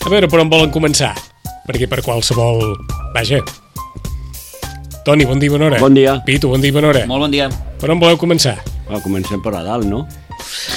A veure per on volen començar, perquè per qualsevol... Vaja. Toni, bon dia, bona hora. Bon dia. Pitu, bon dia, bona hora. Molt bon dia. Per on voleu començar? Comencem per a dalt, no?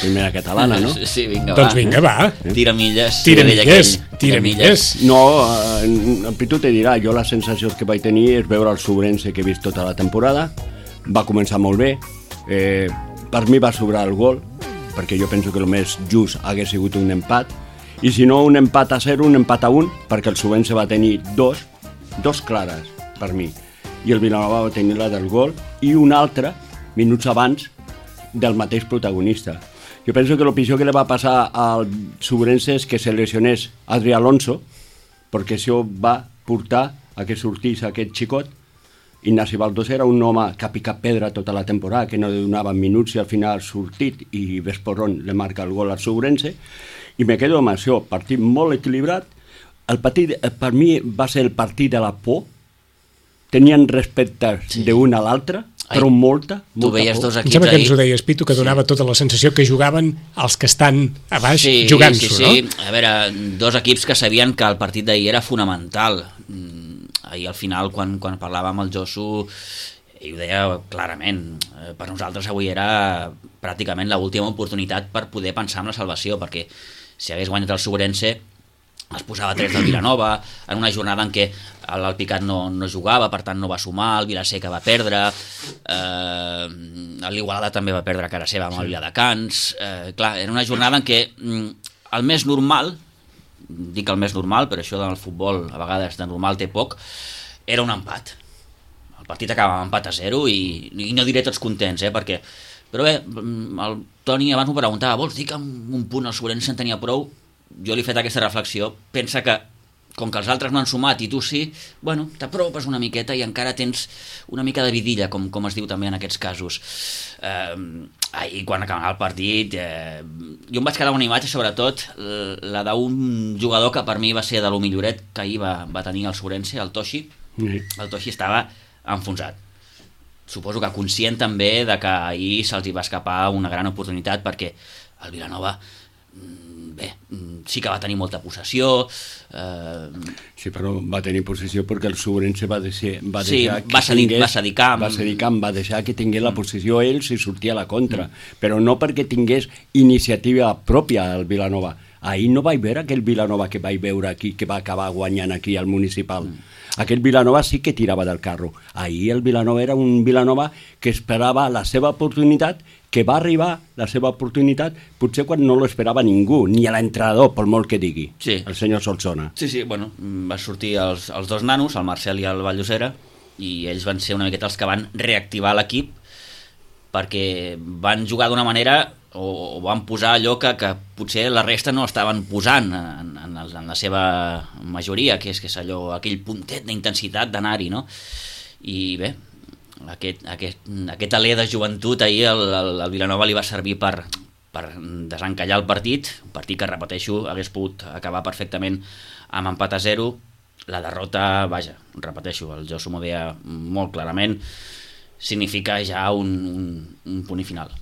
Primera catalana, no? Sí, vinga, Doncs vinga, va. Tira milles. Tira milles. No, en Pitu te dirà, jo la sensació que vaig tenir és veure el Sobrense que he vist tota la temporada. Va començar molt bé. Per mi va sobrar el gol, perquè jo penso que el més just hagués sigut un empat. I si no, un empat a 0, un empat a 1, perquè el Sobrense va tenir dos clares, per mi. I el Vilanova va tenir la del gol i una altra, minuts abans, del mateix protagonista. Jo penso que el pitjor que li va passar al Sobrense és que se lesionés Adri Alonso, perquè això va portar a que sortís aquest xicot. Ignasi Baldós era un home que ha picat pedra tota la temporada, que no li donaven minuts i al final ha sortit i Vesporrón li marca el gol al Sobrense. I me quedo amb això, partit molt equilibrat. El partit, per mi, va ser el partit de la por. Tenien respecte d'un a l'altre, però molta tu veies por. dos Em equips sembla que ahir. ens ho deies, Pitu, que donava tota la sensació que jugaven els que estan a baix jugant-s'ho, no? Sí. A veure, dos equips que sabien que el partit d'ahir era fonamental. Ahir al final, quan parlava amb el Josu, ell ho deia clarament. Per nosaltres avui era pràcticament l'última oportunitat per poder pensar en la salvació, perquè si hagués guanyat el Sobrense es posava 3 del Vilanova, en una jornada en què l'Alpicat no jugava, per tant no va sumar, el Vilaseca va perdre, l'Igualada també va perdre a cara seva amb el Viladecans. Clar, era una jornada en què el més normal, dic el més normal, però això del futbol a vegades de normal té poc, era un empat. El partit acaba amb empat a 0 i no diré tots contents, perquè... Però bé, el Toni abans m'ho preguntava, vols dir que amb un punt el Sobrense en tenia prou? Jo li he fet aquesta reflexió, pensa que com que els altres no han sumat i tu sí, bueno, t'apropes una miqueta i encara tens una mica de vidilla, com es diu també en aquests casos. Ahir, quan acabava el partit, jo em vaig quedar amb una imatge, sobretot la d'un jugador que per mi va ser de lo milloret que ahir va tenir el Sobrense, el Toshi. El Toshi estava enfonsat. Suposo que conscient també de que ahir se'ls hi va escapar una gran oportunitat, perquè el Vilanova sí que va tenir molta possessió. Sí, però va tenir possessió perquè el Sobrense va cedir camp, va deixar que tingués la possessió ells i sortia a la contra, però no perquè tingués iniciativa pròpia el Vilanova. Ahir no vaig veure aquell Vilanova que vaig veure aquí, que va acabar guanyant aquí al Municipal. Aquell Vilanova sí que tirava del carro. Ahir el Vilanova era un Vilanova que esperava la seva oportunitat, que va arribar la seva oportunitat potser quan no l'esperava ningú, ni l'entrenador, per molt que digui, el senyor Solsona. Sí, bueno, va sortir els dos nanos, el Marcel i el Vallosera, i ells van ser una miqueta els que van reactivar l'equip, perquè van jugar d'una manera o van posar allò que potser la resta no estaven posant en la seva majoria, que és allò, aquell puntet d'intensitat d'anar-hi, no? I bé, aquest alè de joventut ahir al Vilanova li va servir per desencallar el partit, un partit que, repeteixo, hagués pogut acabar perfectament amb empat a 0. La derrota, vaja, repeteixo, el Josu m'ho deia molt clarament, significa ja un punt i final.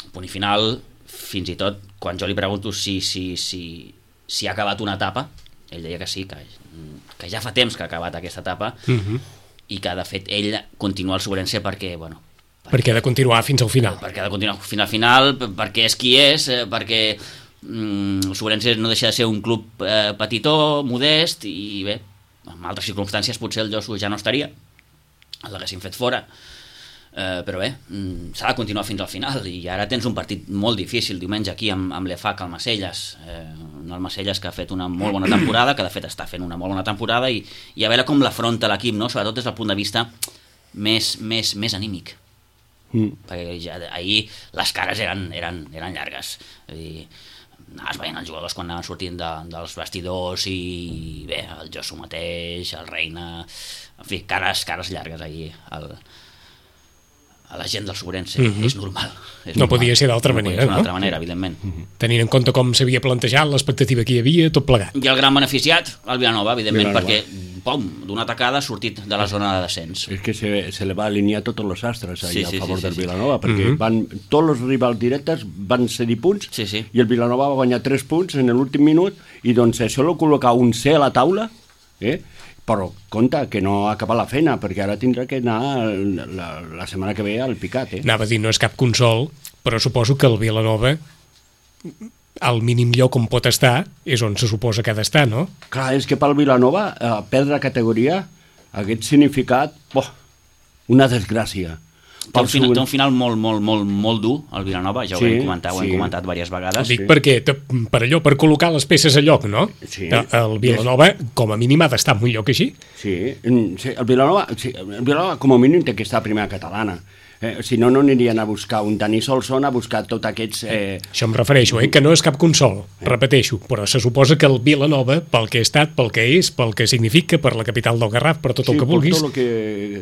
Un punt i final, fins i tot, quan jo li pregunto si ha acabat una etapa, ell deia que sí, que ja fa temps que ha acabat aquesta etapa, i que, de fet, ell continua al Sobrense perquè, bueno... Perquè ha de continuar fins al final. Perquè ha de continuar fins al final, perquè és qui és, perquè el Sobrense no deixa de ser un club petitó, modest, i bé, en altres circumstàncies potser el Josu ja no estaria, l'haguessin fet fora, però bé, s'ha de continuar fins al final, i ara tens un partit molt difícil diumenge aquí amb l'EFAC al Macelles, el Macelles que ha fet una molt bona temporada, que de fet està fent una molt bona temporada, i a veure com l'afronta l'equip, no? Sobretot des del punt de vista més anímic, perquè ja ahir les cares eren llargues, és a dir, anaves veient els jugadors quan anaven sortint dels vestidors, i bé, el Josu mateix, el Reina, en fi, cares llargues ahir a la gent del Sobrense. És normal. No podia ser d'altra manera, no? D'altra manera, evidentment. Tenint en compte com s'havia plantejat, l'expectativa que hi havia, tot plegat. I el gran beneficiat, el Vilanova, evidentment, perquè, pom, d'una tacada ha sortit de la zona de descens. És que se le va alinear tots els astres allà a favor del sí. Vilanova, perquè tots els rivals directes van cedir punts i el Vilanova va guanyar 3 punts en l'últim minut i doncs això lo col·locar un C a la taula, però compte que no ha acabat la feina, perquè ara tindrà que anar la setmana que ve al picat. Anava a dir, no és cap consol, però suposo que el Vilanova, al mínim lloc on pot estar, és on se suposa que ha d'estar, no? Clar, és que pel Vilanova perdre categoria hagués significat una desgràcia. Té un final molt dur, el Vilanova, ja ho hem comentat diverses vegades. Ho dic perquè, per allò, per col·locar les peces a lloc, no? Sí. El Vilanova, com a mínim, ha d'estar en un lloc així. Sí, el Vilanova, com a mínim, té que estar a primera catalana. Si no, no anirien a buscar un Dani Solson, a buscar tots aquests... Això em refereixo, que no és cap consol, repeteixo, però se suposa que el Vilanova, pel que ha estat, pel que és, pel que significa, per la capital del Garraf, per tot el que vulguis...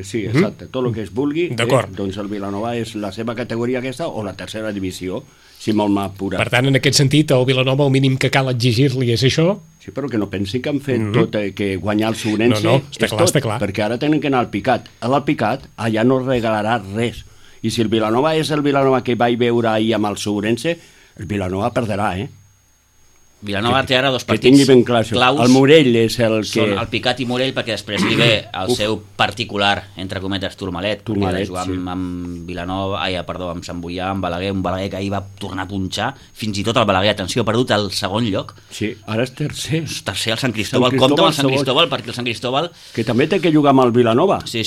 Sí, tot el que es vulgui, doncs el Vilanova és la seva categoria aquesta o la tercera divisió, si molt m'apura. Per tant, en aquest sentit, el Vilanova, el mínim que cal exigir-li és això... Sí, però que no pensi que han fet tot, que guanyar el Sobrense està clar, perquè ara tenen que anar al Picat. Al Picat, allà no regalarà res. I si el Vilanova és el Vilanova que vaig veure ahir amb el Sobrense, el Vilanova perdrà, Vilanova té ara dos partits que tingui ben clar això. Claus. El Morell és el que... Són el Picat i Morell, perquè després li ve el seu particular, entre cometes, Tourmalet, perquè ha de jugar amb Vilanova, amb Sant Boià, amb Balaguer, un Balaguer que ahir va tornar a punxar, fins i tot el Balaguer, atenció, ha perdut el segon lloc. Sí, ara és tercer. Tercer al Sant Cristóbal, compta amb el Sant Cristóbal, perquè el Sant Cristóbal... Que també té que jugar amb el Vilanova. Sí.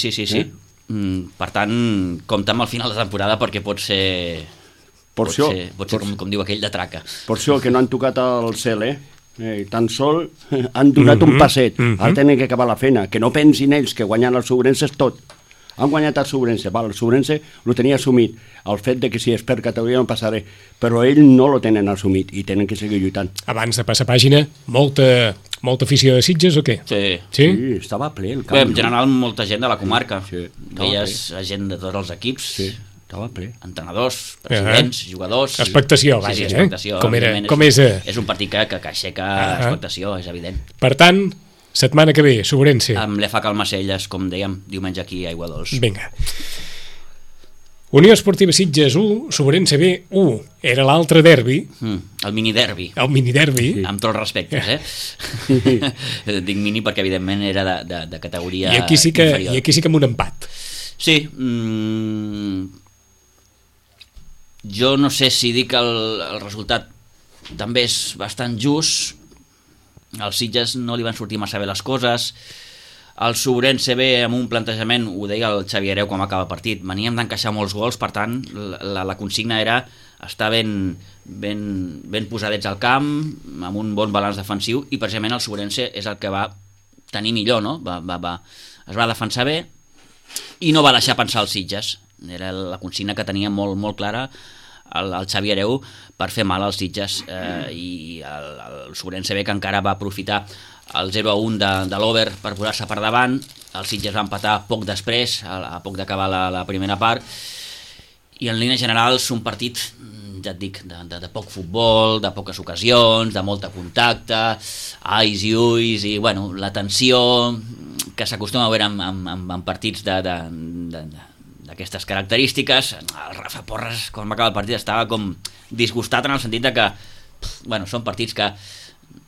Per tant, compta amb el final de temporada perquè pot ser com diu aquell, de traca. Per això que no han tocat el cel, tan sol han donat un passet. Ara tenen que acabar la feina. Que no pensin ells que guanyant el Sobrense és tot. Han guanyat el Sobrense. El Sobrense ho tenia assumit. El fet de que si és per categoria no passaré. Però ells no lo tenen assumit i tenen que seguir lluitant. Abans de passar pàgina, molta afició de Sitges o què? Sí, estava ple el camp. En general, molta gent de la comarca. Sí, veies gent de tots els equips. Sí, estava ple. Entrenadors, presidents, jugadors... Expectació, vaja. Expectació. Com és? És un partit que aixeca expectació, és evident. Per tant, setmana que ve, Sobrense. Amb l'EFA Calmacelles, com dèiem, diumenge aquí a Aiguadols. Vinga. Unió Esportiva Sitges 1, Sobrense B 1. Era l'altre derbi. El mini-derbi. El mini-derbi. Amb tots els respectes, Dic mini perquè, evidentment, era de categoria inferior. I aquí sí que amb un empat. Sí. Jo no sé si dic que el resultat també és bastant just. Als Sitges no li van sortir massa bé les coses. El Sobrense ve amb un plantejament, ho deia el Xavi Hereu quan acaba el partit, veníem d'encaixar molts gols, per tant la consigna era estar ben posadets al camp, amb un bon balanç defensiu, i precisament el Sobrense és el que va tenir millor, no? Es va defensar bé i no va deixar pensar els Sitges. Era la consigna que tenia molt clara el Xavi Hereu per fer mal als Sitges, i el Sobrense B, que encara va aprofitar el 0-1 de l'Over per posar-se per davant. El Sitges va empatar poc després, a poc d'acabar la primera part, i en línies generals un partit, ja et dic, de poc futbol, de poques ocasions, de molt contacte, ais i ulls, i bueno, la tensió que s'acostuma a veure en partits d'aquestes característiques. El Rafa Porres, quan va acabar el partit, estava com disgustat en el sentit de que són partits que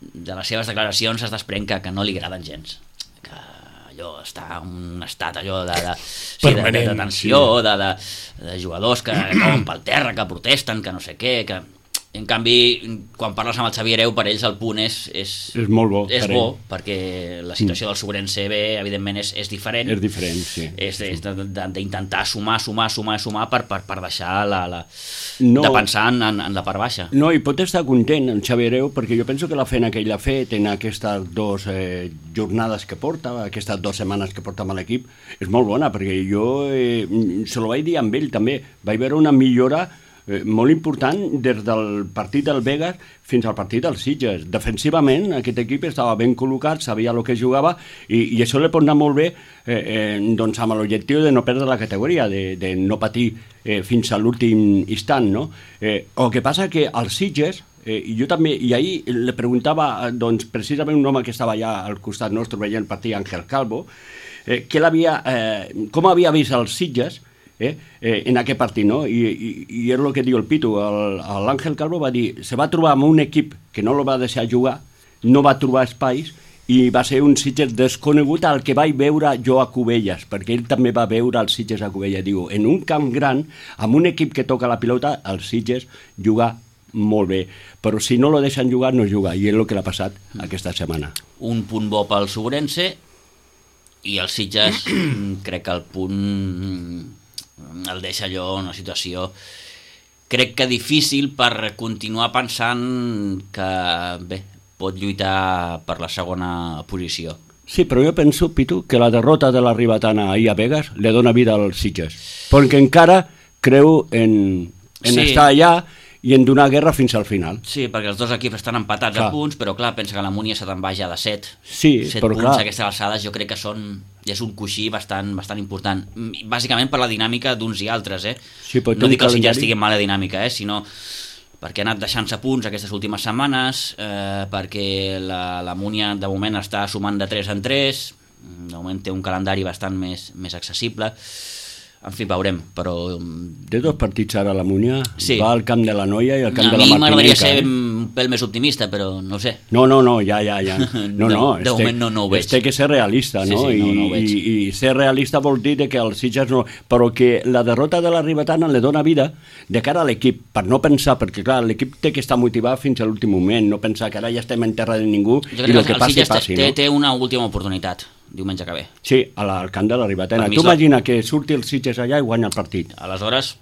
de les seves declaracions es desprèn que no li agraden gens, que allò està en un estat allò de tensió, de jugadors que cauen pel terra, que protesten, que no sé què, que en canvi quan parles amb el Xavi Hereu, per ells el punt és molt bo, perquè la situació del Sobrense B evidentment és diferent. És diferent, sí. És d'intentar sumar per deixar de pensar en la part baixa. No, i pot estar content el Xavi Hereu, perquè jo penso que la feina que ell ha fet en aquestes 2 jornades que porta, aquestes 2 setmanes que porta amb l'equip, és molt bona, perquè jo se lo vaig dir amb ell també, vaig veure una millora molt important des del partit del Vegas fins al partit dels Sitges. Defensivament aquest equip estava ben col·locat, sabia el que jugava i això li pot anar molt bé doncs amb l'objectiu de no perdre la categoria, de no patir fins a l'últim instant, no? El que passa que els Sitges, i jo també, i ahir li preguntava doncs, precisament un home que estava allà al costat nostre veient el partit, Ángel Calvo, com havia vist els Sitges en aquest partit, no? I és el que diu el Pitu. L'Àngel Calvo va dir, se va trobar amb un equip que no el va deixar jugar, no va trobar espais i va ser un Sitges desconegut al que vaig veure jo a Cubelles, perquè ell també va veure els Sitges a Cubelles. Diu, en un camp gran, amb un equip que toca la pilota, els Sitges juga molt bé, però si no lo deixen jugar, no juga, i és el que l'ha passat aquesta setmana. Un punt bo pel Sobrense i els Sitges crec que el punt el deixa allò en una situació crec que difícil per continuar pensant que bé, pot lluitar per la segona posició. Sí, però jo penso, Pitu, que la derrota de la Ribetana ahir a Vegas li dona vida als Sitges, perquè encara creu en estar allà i en donar guerra fins al final. Sí, perquè els dos equips estan empatats a punts, però clar, pensa que la Múnia se te'n va ja de 7. Sí, 7 però punts clar. a aquestes alçades jo crec que és un coixí bastant important. Bàsicament per la dinàmica d'uns i altres, Sí, no dic que els Sitges estiguin mala dinàmica, sinó perquè ha anat deixant-se punts aquestes últimes setmanes, perquè la Múnia de moment està sumant de 3 en 3, de moment té un calendari bastant més accessible. En fi, veurem, però... De dos partits ara la Múnia, sí. Va al camp de la Noia i al camp de la Martinenca. A mi m'agradaria ser un pèl més optimista, però no ho sé. No, ja. No, de moment no ho veig. Té que ser realista, no? Sí, no ho veig. I ser realista vol dir que els Sitges no... Però que la derrota de la Ribetana li dona vida de cara a l'equip, per no pensar, perquè clar, l'equip té que estar motivat fins a l'últim moment, no pensar que ara ja estem en terra de ningú i el que passi, passi, no? Té una última oportunitat, diumenge que ve. Sí, al camp de la Ribetana. Tu imagina que surti el Sitges allà i guanya el partit. Aleshores,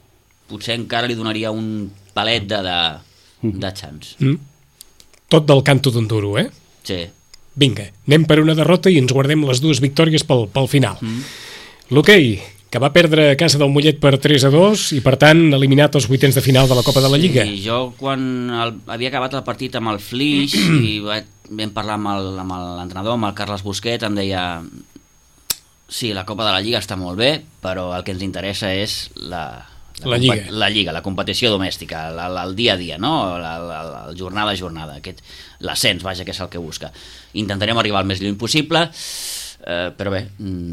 potser encara li donaria un palet de chance. Tot del canto d'un duro, Sí. Vinga, anem per una derrota i ens guardem les dues victòries pel final. L'hoquei, que va perdre a casa del Mollet per 3-2 i per tant eliminat als vuitens de final de la Copa de la Lliga. Sí, jo quan havia acabat el partit amb el Flix i vam parlar amb l'entrenador, amb el Carles Busquet, em deia sí, la Copa de la Lliga està molt bé, però el que ens interessa és la Lliga, la competició domèstica, el dia a dia, no? La jornada a jornada, l'ascens, vaja, que és el que busca. Intentarem arribar el més lluny possible, però bé,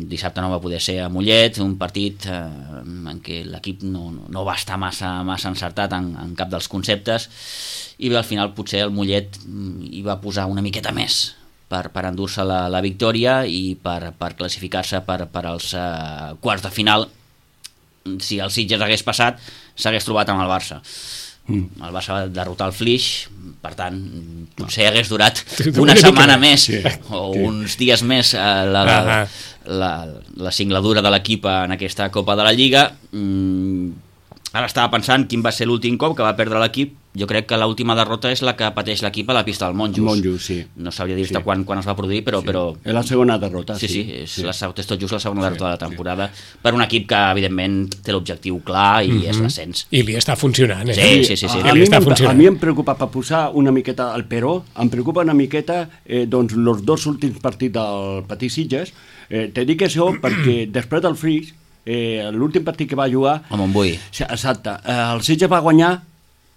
dissabte no va poder ser a Mollet, un partit en què l'equip no va estar massa encertat en cap dels conceptes, i bé, al final potser el Mollet hi va posar una miqueta més per endur-se la victòria i per classificar-se per als quarts de final. Si el Sitges hagués passat, s'hagués trobat amb el Barça. El Barça va derrotar el Flix, per tant, potser hagués durat una setmana més o uns dies més la singladura de l'equip en aquesta Copa de la Lliga. Ara estava pensant quin va ser l'últim cop que va perdre l'equip. Jo crec que l'última derrota és la que pateix l'equip a la pista del Monjos. Monjos, sí. No sabria dir-te quan es va produir, però... És la segona derrota, sí. És tot just la segona derrota de la temporada per un equip que, evidentment, té l'objectiu clar i és l'ascens. I li està funcionant, Sí. A mi em preocupa, per posar una miqueta al Peró, em preocupa una miqueta doncs, els dos últims partits del Petit Sitges. Te dic això perquè després del Flix, l'últim partit que va jugar... A Montbui. Exacte. El Sitges va guanyar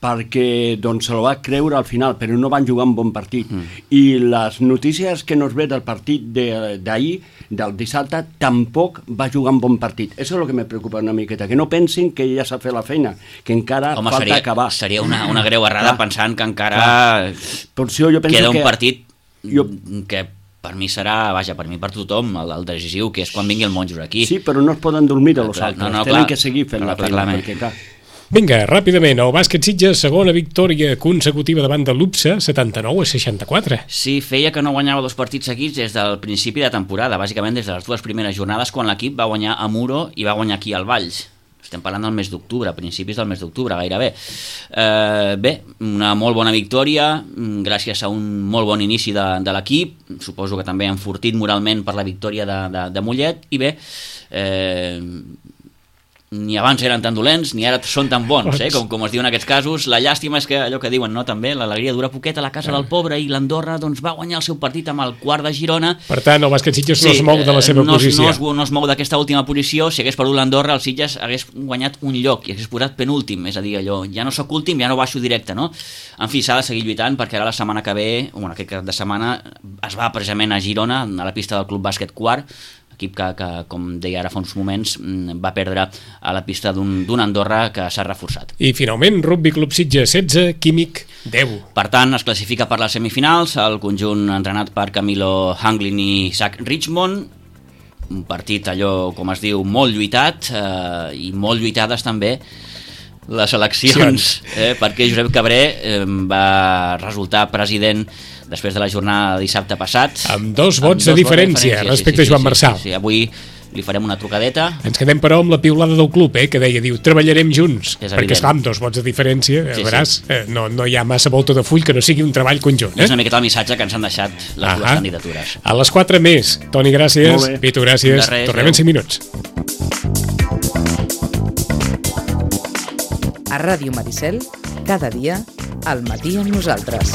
perquè doncs, se lo va creure al final, però no van jugar un bon partit. I les notícies que nos ve del partit d'ahir, del dissabte, tampoc va jugar un bon partit. Això és el que me preocupa una miqueta, que no pensin que ja s'ha fet la feina, que encara falta acabar. Seria una greu errada pensant que encara queda un partit que per mi serà, per mi per tothom, el decisiu, que és quan vingui el Monjos aquí. Sí, però no es poden dormir de los altres, tenen que seguir fent la feina, perquè clar... Vinga, ràpidament, el bàsquet Sitges, segona victòria consecutiva davant de l'UPSA, 79-64. Sí, feia que no guanyava dos partits seguits des del principi de temporada, bàsicament des de les dues primeres jornades, quan l'equip va guanyar a Muro i va guanyar aquí al Valls. Estem parlant del mes d'octubre, principis del mes d'octubre, gairebé. Bé, una molt bona victòria, gràcies a un molt bon inici de l'equip, suposo que també enfortit moralment per la victòria de Mollet, i bé, ni abans eren tan dolents ni ara són tan bons, com es diu en aquests casos. La llàstima és que allò que diuen, no, també l'alegria dura poquet a la casa del pobre, i l'Andorra doncs, va guanyar el seu partit amb el quart de Girona. Per tant, el bàsquet Sitges no es mou de la seva posició. No es mou d'aquesta última posició. Si hagués perdut l'Andorra, el Sitges hagués guanyat un lloc i hagués posat penúltim, és a dir, allò, ja no soc últim, ja no baixo directe, no? En fi, s'ha de seguir lluitant, perquè ara la setmana que ve, aquest cap de setmana, es va precisament a Girona, a la pista del Club Bàsquet Quart, equip que, com deia ara fa uns moments, va perdre a la pista d'un Andorra que s'ha reforçat. I finalment, Rugby Club Sitges 16, Químic 10. Per tant, es classifica per les semifinals, el conjunt entrenat per Camilo Hanglin i Zach Richmond, un partit allò, com es diu, molt lluitat, i molt lluitades també les eleccions, perquè Josep Cabré va resultar president després de la jornada de dissabte passat. Amb 2 vots de diferència respecte a Joan Marçal. Sí, avui li farem una trucadeta. Ens quedem, però, amb la piulada del club, que deia, treballarem junts, perquè esclar, amb 2 vots de diferència, veuràs, no hi ha massa volta de full que no sigui un treball conjunt. És una miqueta el missatge que ens han deixat les dues candidatures. A les 4 més. Toni, gràcies. Pitu, gràcies. Tornem en 5 minuts. A Ràdio Maricel, cada dia, al matí amb nosaltres.